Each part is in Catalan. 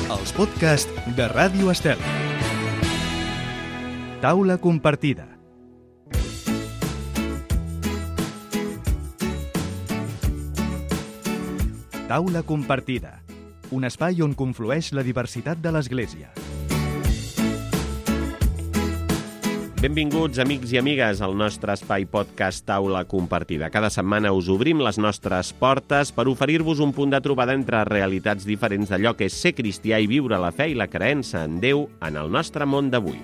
Els podcasts de Ràdio Estel. Taula compartida. Taula compartida. Un espai on conflueix la diversitat de l'Església. Benvinguts, amics i amigues, al nostre espai podcast Taula Compartida. Cada setmana us obrim les nostres portes per oferir-vos un punt de trobada entre realitats diferents d'allò que és ser cristià i viure la fe i la creença en Déu en el nostre món d'avui.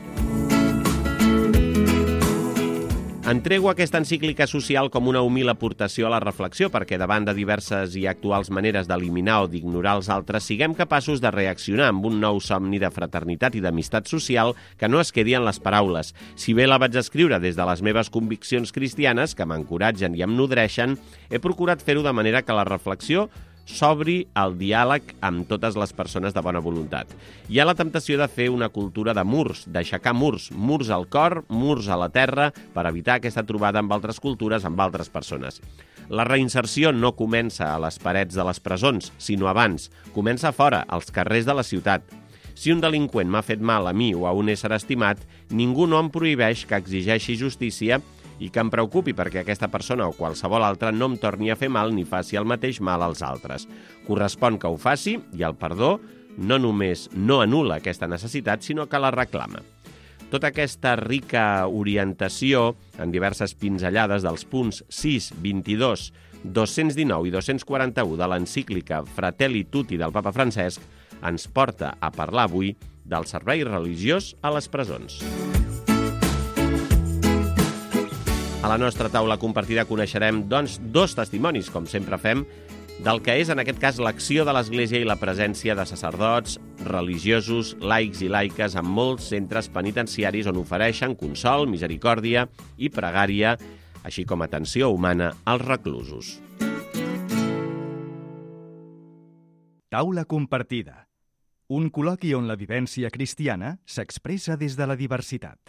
Entrego aquesta encíclica social com una humil aportació a la reflexió perquè davant de diverses i actuals maneres d'eliminar o d'ignorar els altres siguem capaços de reaccionar amb un nou somni de fraternitat i d'amistat social que no es quedi en les paraules. Si bé la vaig escriure des de les meves conviccions cristianes, que m'encoratgen i em nodreixen, he procurat fer-ho de manera que la reflexió s'obri al diàleg amb totes les persones de bona voluntat. Hi ha la temptació de fer una cultura de murs, d'aixecar murs, murs al cor, murs a la terra, per evitar aquesta trobada amb altres cultures, amb altres persones. La reinserció no comença a les parets de les presons, sinó abans. Comença fora, als carrers de la ciutat. Si un delinqüent m'ha fet mal a mi o a un ésser estimat, ningú no em prohibeix que exigeixi justícia i que em preocupi perquè aquesta persona o qualsevol altra no em torni a fer mal ni faci el mateix mal als altres. Correspon que ho faci i el perdó no només no anul·la aquesta necessitat, sinó que la reclama. Tota aquesta rica orientació en diverses pinzellades dels punts 6, 22, 219 i 241 de l'encíclica Fratelli Tutti del Papa Francesc ens porta a parlar avui del servei religiós a les presons. A la nostra taula compartida coneixerem, doncs, dos testimonis, com sempre fem, del que és, en aquest cas, l'acció de l'Església i la presència de sacerdots, religiosos, laics i laiques en molts centres penitenciaris on ofereixen consol, misericòrdia i pregària, així com atenció humana als reclusos. Taula compartida. Un col·loqui on la vivència cristiana s'expressa des de la diversitat.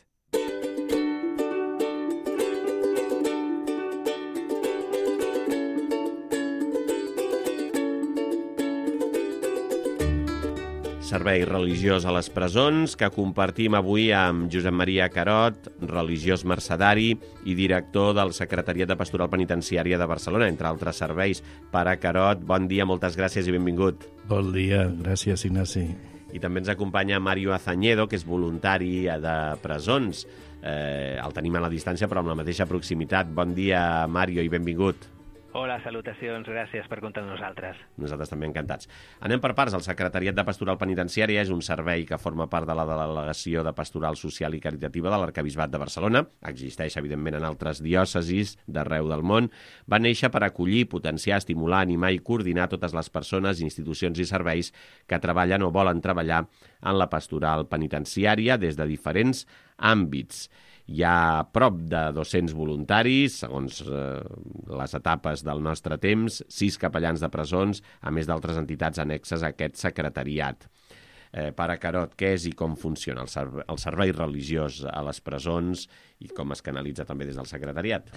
Servei religiós a les presons que compartim avui amb Josep Maria Carot, religiós mercedari i director del Secretariat de Pastoral Penitenciària de Barcelona, entre altres serveis. Pare Carot, bon dia, moltes gràcies i benvingut. Bon dia, gràcies, Ignasi. I també ens acompanya Mario Azañedo, que és voluntari de presons. El tenim a la distància, però amb la mateixa proximitat. Bon dia, Mario, i benvingut. Hola, salutacions, gràcies per comptar amb nosaltres. Nosaltres també encantats. Anem per parts. El Secretariat de Pastoral Penitenciària és un servei que forma part de la Delegació de Pastoral Social i Caritativa de l'Arquebisbat de Barcelona. Existeix, evidentment, en altres diòcesis d'arreu del món. Va néixer per acollir, potenciar, estimular, animar i coordinar totes les persones, institucions i serveis que treballen o volen treballar en la pastoral penitenciària des de diferents àmbits. Hi ha prop de 200 voluntaris, segons les etapes del nostre temps, 6 capellans de presons, a més d'altres entitats annexes a aquest secretariat. Pare Carot, què és i com funciona el servei religiós a les presons i com es canalitza també des del secretariat?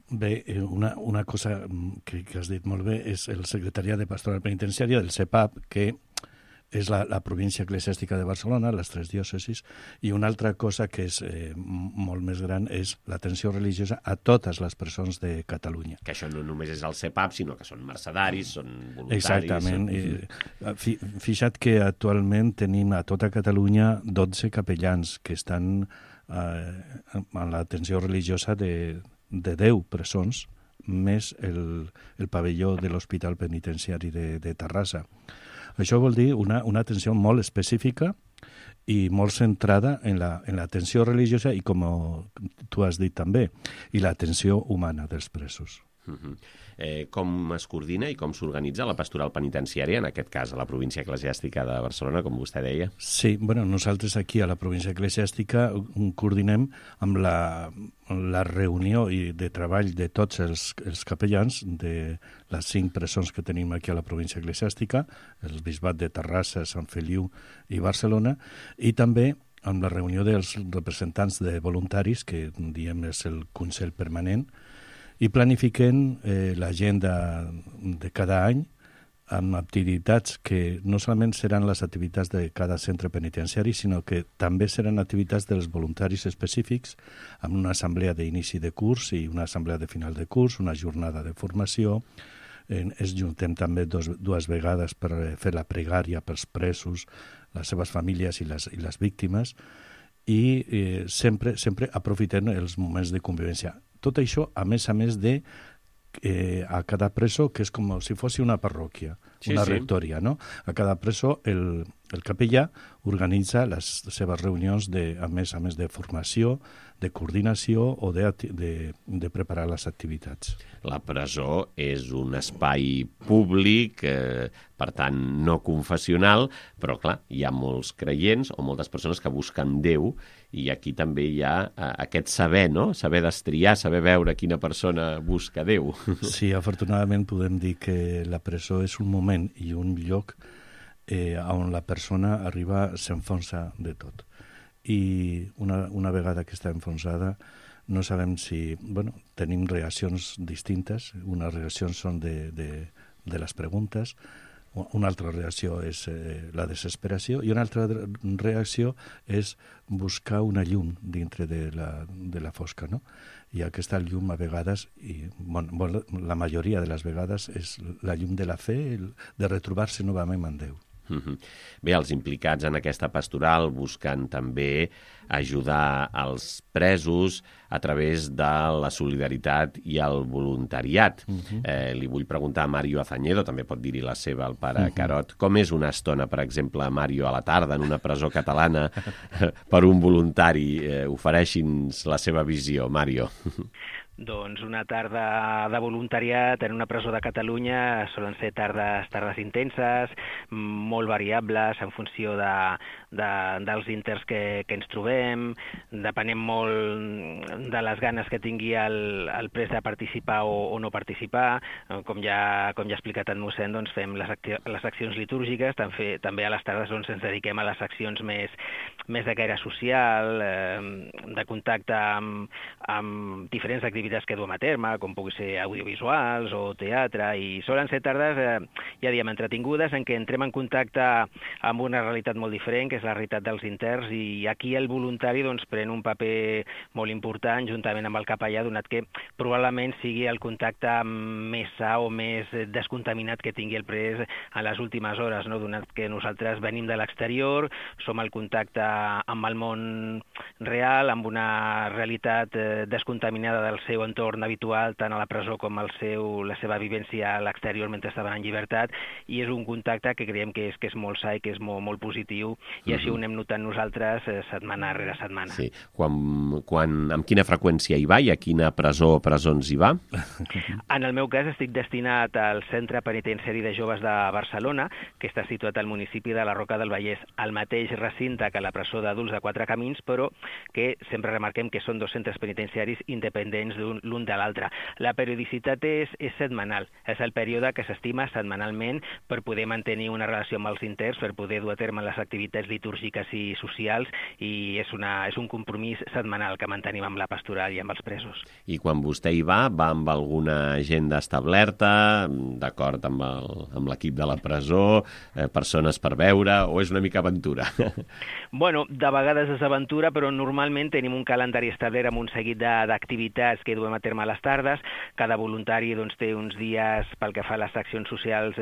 Bé, una cosa que has dit molt bé és el Secretariat de Pastoral Penitenciària del CEPAP, que és la província eclesiàstica de Barcelona, les 3 diòcesis, i una altra cosa que és molt més gran és l'atenció religiosa a totes les presons de Catalunya. Que això no només és el CEPAP, sinó que són mercedaris, són voluntaris... Exactament. Fixa't que actualment tenim a tota Catalunya 12 capellans que estan en l'atenció religiosa de 10 presons, més el pavelló de l'Hospital Penitenciari de Terrassa. Això vol dir una atenció molt específica i molt centrada en l'atenció religiosa i, com tu has dit també, i l'atenció humana dels presos. Com es coordina i com s'organitza la pastoral penitenciària, en aquest cas a la província eclesiàstica de Barcelona, com vostè deia? Sí, nosaltres aquí a la província eclesiàstica coordinem amb la reunió de treball de tots els capellans de les 5 presons que tenim aquí a la província eclesiàstica, el bisbat de Terrassa, Sant Feliu i Barcelona, i també amb la reunió dels representants de voluntaris, que diem és el Consell Permanent, i planifiquen l'agenda de cada any amb activitats que no solament seran les activitats de cada centre penitenciari, sinó que també seran activitats dels voluntaris específics, amb una assemblea d'inici de curs i una assemblea de final de curs, una jornada de formació. Es juntem també dues vegades per fer la pregària pels presos, les seves famílies i les víctimes, i sempre aprofitem els moments de convivència. Tot això, a més de a cada preso, que és com si fos una parròquia, una rectoria, no? A cada preso el capellà organitza les seves reunions a més de formació, de coordinació o de preparar les activitats. La presó és un espai públic, per tant no confessional, però clar, hi ha molts creients o moltes persones que busquen Déu, i aquí també hi ha aquest saber, no? Saber destriar, saber veure quina persona busca Déu. Sí, afortunadament podem dir que la presó és un moment i un lloc on la persona s'enfonsa de tot. I una vegada que està enfonsada no sabem si... tenim reaccions distintes. Unes reaccions són de les preguntes, una altra reacció és la desesperació i una altra reacció és buscar una llum dintre de la fosca, no? I aquesta llum a vegades, i la majoria de les vegades, és la llum de la fe, de retrobar-se novament amb Déu. Bé, els implicats en aquesta pastoral busquen també ajudar els presos a través de la solidaritat i el voluntariat. Li vull preguntar a Mario Azañedo, també pot dir-hi la seva al pare Carot, com és una estona, per exemple, Mario, a la tarda en una presó catalana per un voluntari? Ofereixi'ns la seva visió, Mario. Doncs una tarda de voluntariat en una presó de Catalunya solen ser tardes intenses, molt variables en funció dels interns que ens trobem, depenem molt de les ganes que tingui el pres de participar o no participar. Com ja ha explicat en mossèn, doncs fem les accions litúrgiques, també a les tardes ens dediquem a les accions més de caire social, de contacte amb diferents activitats que duem a terme, com pugui ser audiovisuals o teatre, i solen ser tardes, ja diem, entretingudes, en què entrem en contacte amb una realitat molt diferent, que és la realitat dels interns, i aquí el voluntari doncs, pren un paper molt important, juntament amb el capellà, donat que probablement sigui el contacte més sa o més descontaminat que tingui el pres en les últimes hores, no? Donat que nosaltres venim de l'exterior, som al contacte amb el món real, amb una realitat descontaminada del seu entorn habitual, tant a la presó com la seva vivència a l'exterior mentre estaven en llibertat, i és un contacte que creiem que és molt sa i que és molt positiu, i així ho anem notant nosaltres setmana rere setmana. Sí. Amb quina freqüència hi va i a quina presó o presons hi va? En el meu cas estic destinat al Centre Penitenciari de Joves de Barcelona, que està situat al municipi de la Roca del Vallès, al mateix recinte que la presó d'adults de Quatre Camins, però que sempre remarquem que són dos centres penitenciaris independents l'un de l'altre. La periodicitat és setmanal, és el període que s'estima setmanalment per poder mantenir una relació amb els interns, per poder dur a terme les activitats litúrgiques i socials, i és un compromís setmanal que mantenim amb la pastoral i amb els presos. I quan vostè hi va amb alguna agenda establerta, d'acord amb l'equip de la presó, persones per veure, o és una mica aventura? Bueno, de vegades és aventura, però normalment tenim un calendari establert amb un seguit d'activitats que duem a terme a les tardes. Cada voluntari doncs, té uns dies pel que fa a les accions socials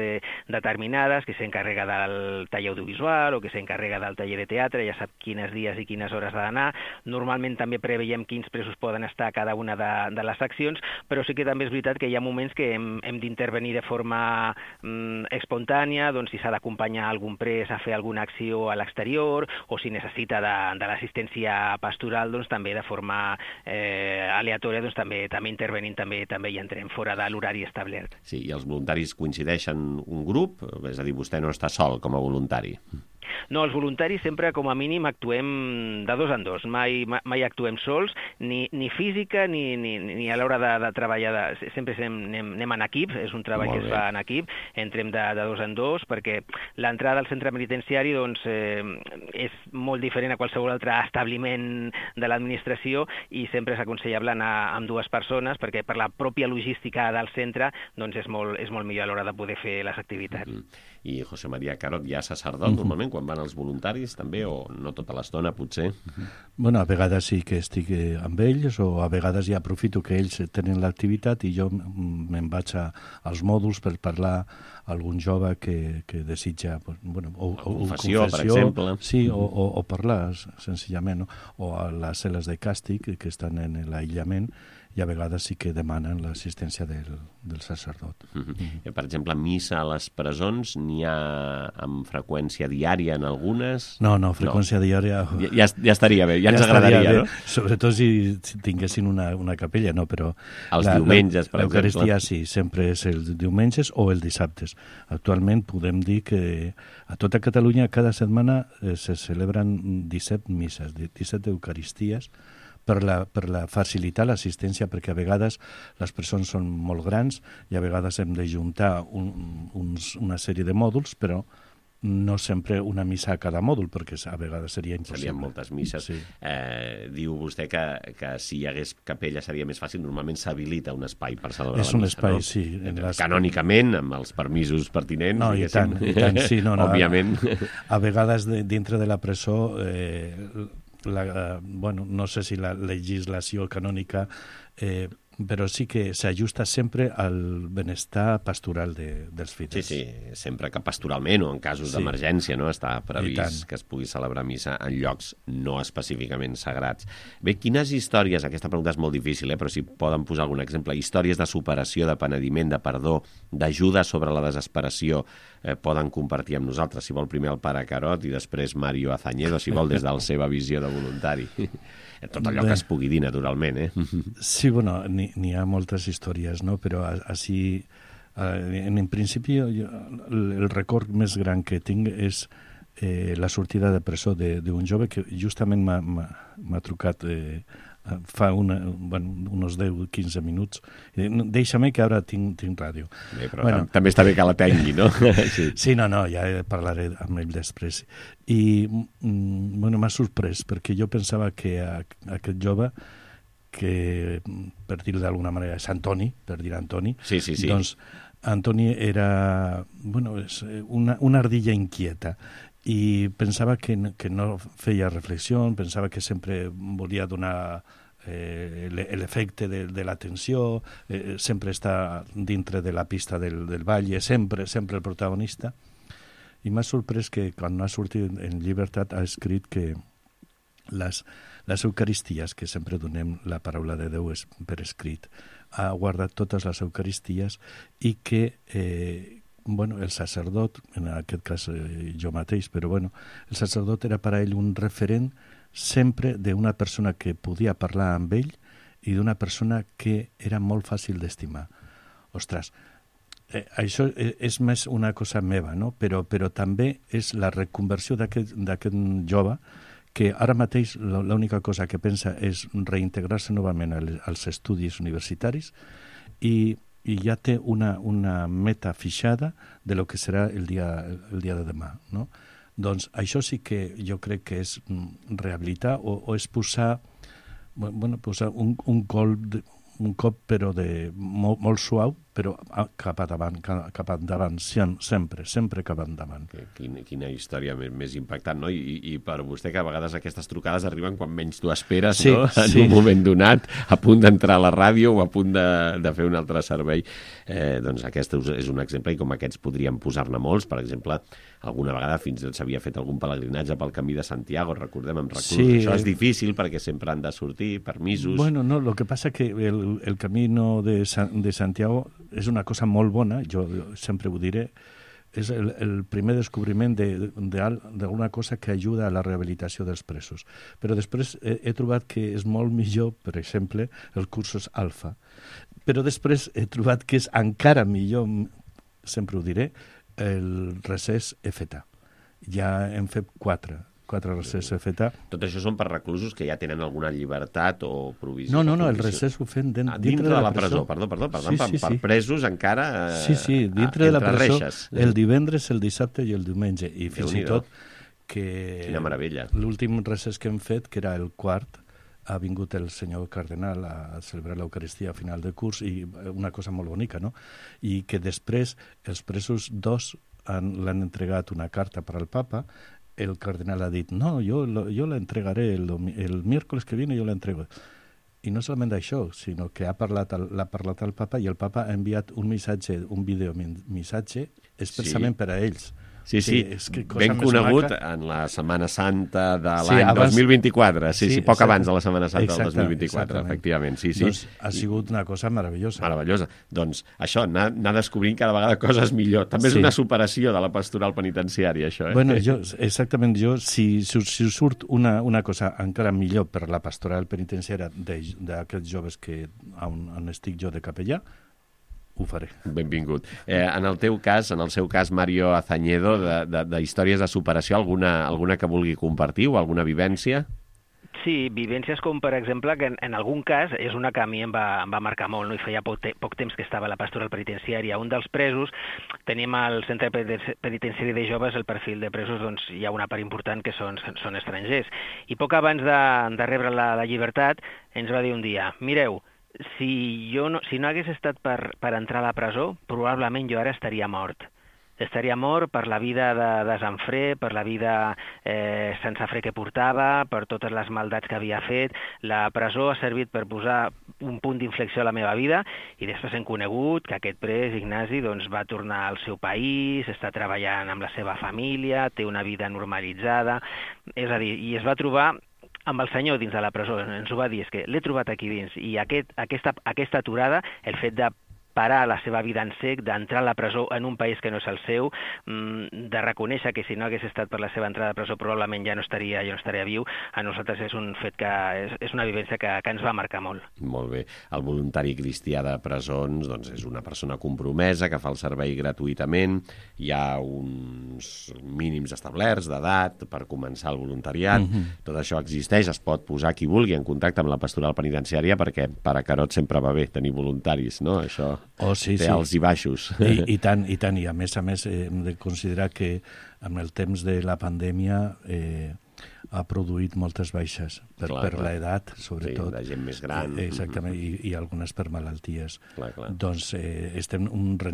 determinades, que s'encarrega del taller audiovisual o que s'encarrega del taller de teatre, ja sap quines dies i quines hores ha d'anar. Normalment també preveiem quins presos poden estar a cada una de les accions, però sí que també és veritat que hi ha moments que hem d'intervenir de forma espontània, doncs si s'ha d'acompanyar algun pres a fer alguna acció a l'exterior, o si necessita de l'assistència pastoral, doncs també de forma aleatòria, doncs també intervenim, també hi entrem fora de l'horari establert. Sí, i els voluntaris coincideixen un grup? És a dir, vostè no està sol com a voluntari? No, els voluntaris sempre, com a mínim, actuem de 2 en 2. Mai actuem sols, ni física ni a l'hora de treballar. Sempre anem en equip, és un treball que es fa en equip, entrem de 2 en 2, perquè l'entrada al centre penitenciari doncs, és molt diferent a qualsevol altre establiment de l'administració i sempre és aconsellable anar amb 2 persones perquè per la pròpia logística del centre doncs és molt millor a l'hora de poder fer les activitats. I José María Carot, ja sacerdot normalment quan van els voluntaris també, o no tota l'estona potser? Bueno, a vegades sí que estic amb ells, o a vegades ja aprofito que ells tenen l'activitat i jo me'n vaig als mòduls per parlar a algun jove que desitja confessió, per exemple. Sí, o parlar senzillament, no? O a les cel·les de càstig que estan en l'aïllament, i a vegades sí que demanen l'assistència del sacerdot. Per exemple, missa a les presons n'hi ha amb freqüència diària en algunes? No, freqüència diària... Ja estaria bé, ja ens agradaria, no? Sobretot si tinguessin una capella, no, però... Els diumenges, per exemple. L'Eucaristia sí, sempre és els diumenges o els dissabtes. Actualment podem dir que a tota Catalunya cada setmana se celebren 17 misses, 17 eucaristies, per facilitar l'assistència, perquè a vegades les persones són molt grans i a vegades hem de juntar una sèrie de mòduls, però no sempre una missa a cada mòdul, perquè a vegades seria impossible. Serien moltes misses. Sí. Diu vostè que si hi hagués capella seria més fàcil, normalment s'habilita un espai per celebrar la missa. És un espai, no? sí. Canònicament, amb els permisos pertinents, no, i tant, sí. No, òbviament. A vegades dintre de la presó... no sé si la legislació canònica, però sí que s'ajusta sempre al benestar pastoral dels fidels. Sí, sempre que pastoralment o en casos d'emergència no està previst que es pugui celebrar missa en llocs no específicament sagrats. Bé, quines històries, aquesta pregunta és molt difícil, però si poden posar algun exemple, històries de superació, de penediment, de perdó, d'ajuda sobre la desesperació, poden compartir amb nosaltres. Si vol primer el pare Carot i després Mario Azañedo, si vol des de la seva visió de voluntari. Tot allò que es pugui dir, naturalment, Sí, bueno, n'hi ha moltes històries, no? Però així, en principi, el record més gran que tinc és la sortida de presó d'un jove que justament m'ha trucat fa uns 10-15 minuts. Deixa'm que ara tinc ràdio. Bé, però també està bé que la tengui, no? Sí, no, ja parlaré amb ell després. I m'ha sorprès, perquè jo pensava que aquest jove, que per dir-ho d'alguna manera és Antoni, per dir Antoni, doncs Antoni era una ardilla inquieta, i pensava que no feia reflexió, pensava que sempre volia donar l'efecte de l'atenció, sempre està dintre de la pista del ball, sempre el protagonista. I m'ha sorprès que quan ha sortit en llibertat ha escrit que les eucaristies, que sempre donem la paraula de Déu per escrit, ha guardat totes les eucaristies i que el sacerdot, en aquest cas jo mateix, però el sacerdot era per a ell un referent sempre d'una persona que podia parlar amb ell i d'una persona que era molt fàcil d'estimar. Ostres, això és més una cosa meva, no? Però també és la reconversió d'aquest jove que ara mateix l'única cosa que pensa és reintegrar-se novament als estudis universitaris i ja té una meta fixada de lo que serà el dia de demà, no? Doncs això sí que jo crec que és rehabilitar o és posar un cop però molt suau, però cap endavant, sempre cap endavant. Quina història més impactant, no? I per vostè, que a vegades aquestes trucades arriben quan menys tu esperes, no? En un moment donat, a punt d'entrar a la ràdio o a punt de fer un altre servei. Doncs aquest és un exemple, i com aquests podríem posar-ne molts. Per exemple, alguna vegada fins i tot s'havia fet algun pelegrinatge pel Camí de Santiago, recordem, amb recursos. Això és difícil perquè sempre han de sortir permisos. Bueno, no, lo que passa que el Camino de Santiago és una cosa molt bona, jo sempre ho diré, és el primer descobriment d'alguna cosa que ajuda a la rehabilitació dels presos. Però després he trobat que és molt millor, per exemple, els cursos alfa. Però després he trobat que és encara millor, sempre ho diré, el recés FETA. Ja hem fet quatre recessos feta. Tot això són per reclusos que ja tenen alguna llibertat o provisió? No, el recés ho fem dintre de la presó. Perdó, per presos encara dintre de la presó, reixes. El divendres, el dissabte i el diumenge. I fins i tot que... Quina meravella. L'últim recés que hem fet, que era el quart, ha vingut el senyor cardenal a celebrar l'Eucaristia a final de curs, i una cosa molt bonica, no? I que després els presos dos l'han entregat una carta per al papa. El cardenal ha dit, no, yo la entregaré el miércoles que viene, yo la entrego. I no solament això, sinó que l'ha parlat al papa, i el papa ha enviat un missatge, un videomissatge, expressament per a ells. Sí, ben conegut en la Setmana Santa de l'any 2024. Poc abans de la Setmana Santa del 2024, efectivament. Doncs ha sigut una cosa meravellosa. Meravellosa. Doncs això, anar descobrint cada vegada coses millor. També és una superació de la pastoral penitenciària, això. Bueno, si surt una cosa encara millor per la pastoral penitenciària d'aquests joves on estic jo de capellà, ho faré. Benvingut. En el seu cas, Mario Azañedo, de històries de superació, alguna que vulgui compartir o alguna vivència? Sí, vivències com, per exemple, que en algun cas és una que a mi em va marcar molt, no? I feia poc temps que estava a la pastoral penitenciària. Un dels presos, tenim al centre penitenciari de joves, el perfil de presos, doncs hi ha una part important que són estrangers. I poc abans de rebre la llibertat, ens va dir un dia, mireu, si no hagués estat per entrar a la presó, probablement jo ara estaria mort. Estaria mort per la vida de desenfre, per la vida sense fre que portava, per totes les maldats que havia fet. La presó ha servit per posar un punt d'inflexió a la meva vida, i després hem conegut que aquest pres, Ignasi, doncs, va tornar al seu país, està treballant amb la seva família, té una vida normalitzada, és a dir, i es va trobar amb el senyor dins de la presó. Ens ho va dir, és que l'he trobat aquí dins, i aquesta aturada, el fet de parar la seva vida en sec, d'entrar a la presó en un país que no és el seu, de reconèixer que si no hagués estat per la seva entrada a presó probablement ja no estaria viu, a nosaltres és un fet que és una vivència que ens va marcar molt. Molt bé. El voluntari cristià de presons doncs és una persona compromesa que fa el servei gratuïtament, hi ha uns mínims establerts d'edat per començar el voluntariat, tot això existeix, es pot posar qui vulgui en contacte amb la pastoral penitenciària, perquè per a Carot sempre va bé tenir voluntaris, no? Això té alts i baixos. I tant, i a més hem de considerar que amb el temps de la pandèmia ha produït moltes baixes per l'edat, sobretot. Sí, de gent més gran. Exactament, i algunes per malalties. Clar. Doncs estem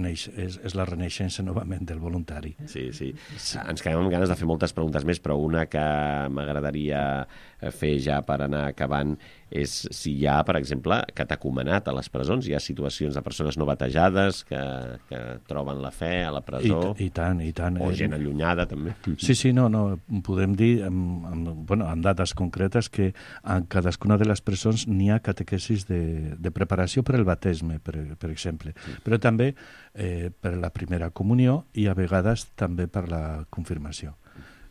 és la renaixença novament del voluntari. Sí. Ens quedem amb ganes de fer moltes preguntes més, però una que m'agradaria fer ja per anar acabant és si hi ha, per exemple, catecumenat a les presons, hi ha situacions de persones no batejades que troben la fe a la presó. I tant. O gent allunyada, també. Sí, no, podem dir amb dades concretes que en cadascuna de les presons n'hi ha catequesis de preparació per al bateisme, per exemple, però també per la primera comunió i a vegades també per la confirmació.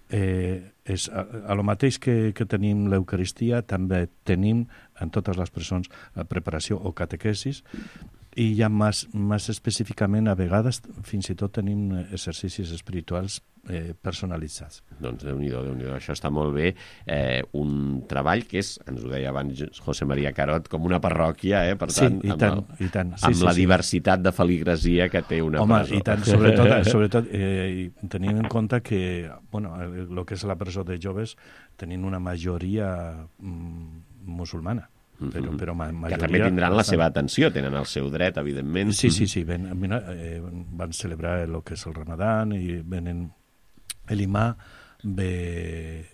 És a lo mateix que tenim l'Eucaristia, també tenim en totes les presons preparació o catequesis, i ja més específicament a vegades fins i tot tenim exercicis espirituals personalitzats. Doncs Déu-n'hi-do, això està molt bé. Un treball que és, ens ho deia abans José María Carot, com una parròquia, per tant, amb la diversitat de feligresia que té una presó. Home, i tant, sobretot tenint en compte que el que és la presó de joves tenint una majoria musulmana. Però que també tindran la seva atenció, tenen el seu dret, evidentment. Sí, van celebrar el que és el Ramadan i venen l'imà ve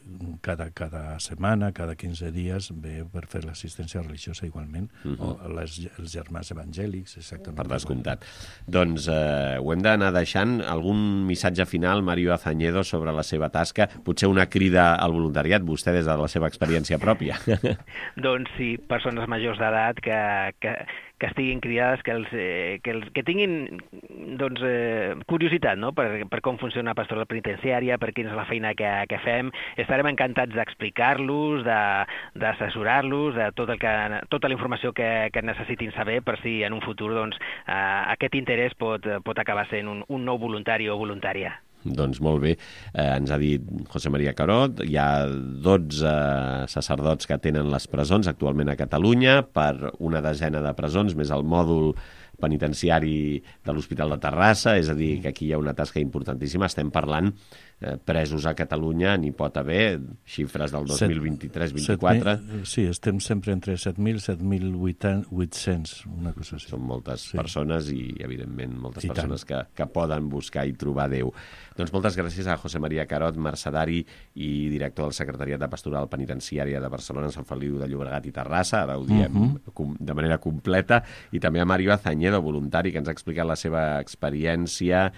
cada setmana, cada 15 dies, ve per fer l'assistència religiosa igualment, o els germans evangèlics, exactament. Per descomptat. Doncs ho hem d'anar deixant. Algun missatge final, Mario Azañedo, sobre la seva tasca? Potser una crida al voluntariat, vostè des de la seva experiència pròpia. Doncs sí, persones majors d'edat que estiguin cridades, que tinguin curiositat, no?, per com funciona la pastoral penitenciària, per quina és la feina que fem. Estarem encantats d'explicar-los, d'assessorar-los, de tota la informació que necessitin saber, per si en un futur aquest interès pot acabar sent un nou voluntari o voluntària. Doncs molt bé, ens ha dit José María Carod, hi ha 12 sacerdots que tenen les presons actualment a Catalunya, per una desena de presons, més el mòdul penitenciari de l'Hospital de Terrassa, és a dir, que aquí hi ha una tasca importantíssima. Estem parlant presos a Catalunya, n'hi pot haver xifres del 2023-24. Sí, estem sempre entre 7.000 i 7.800, una cosa així. Són moltes persones i, evidentment, moltes persones que poden buscar i trobar Déu. Doncs moltes gràcies a José María Carod, mercedari i director del Secretariat de Pastoral Penitenciària de Barcelona, Sant Feliu de Llobregat i Terrassa, ara ho diem de manera completa, i també a Mario Azañedo, voluntari, que ens ha explicat la seva experiència,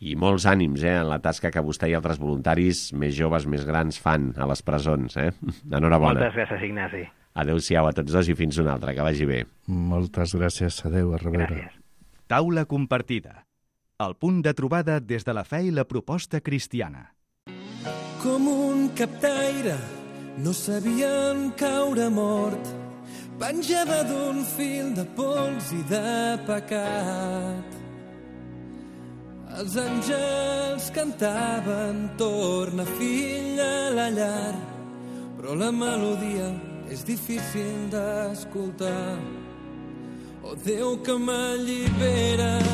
i molts ànims en la tasca que vostè i altres voluntaris més joves, més grans fan a les presons. Enhorabona. Moltes gràcies, Ignasi. Adéu-siau a tots dos i fins una altra, que vagi bé. Moltes gràcies, adéu, a reveure. Gràcies. Taula compartida. El punt de trobada des de la fe i la proposta cristiana. Com un captaire, no sabien caure mort. Penjava d'un fil de pols i de pecat. Els àngels cantaven, torna fill a la llar, però la melodia és difícil d'escoltar. Oh Déu que m'allibera.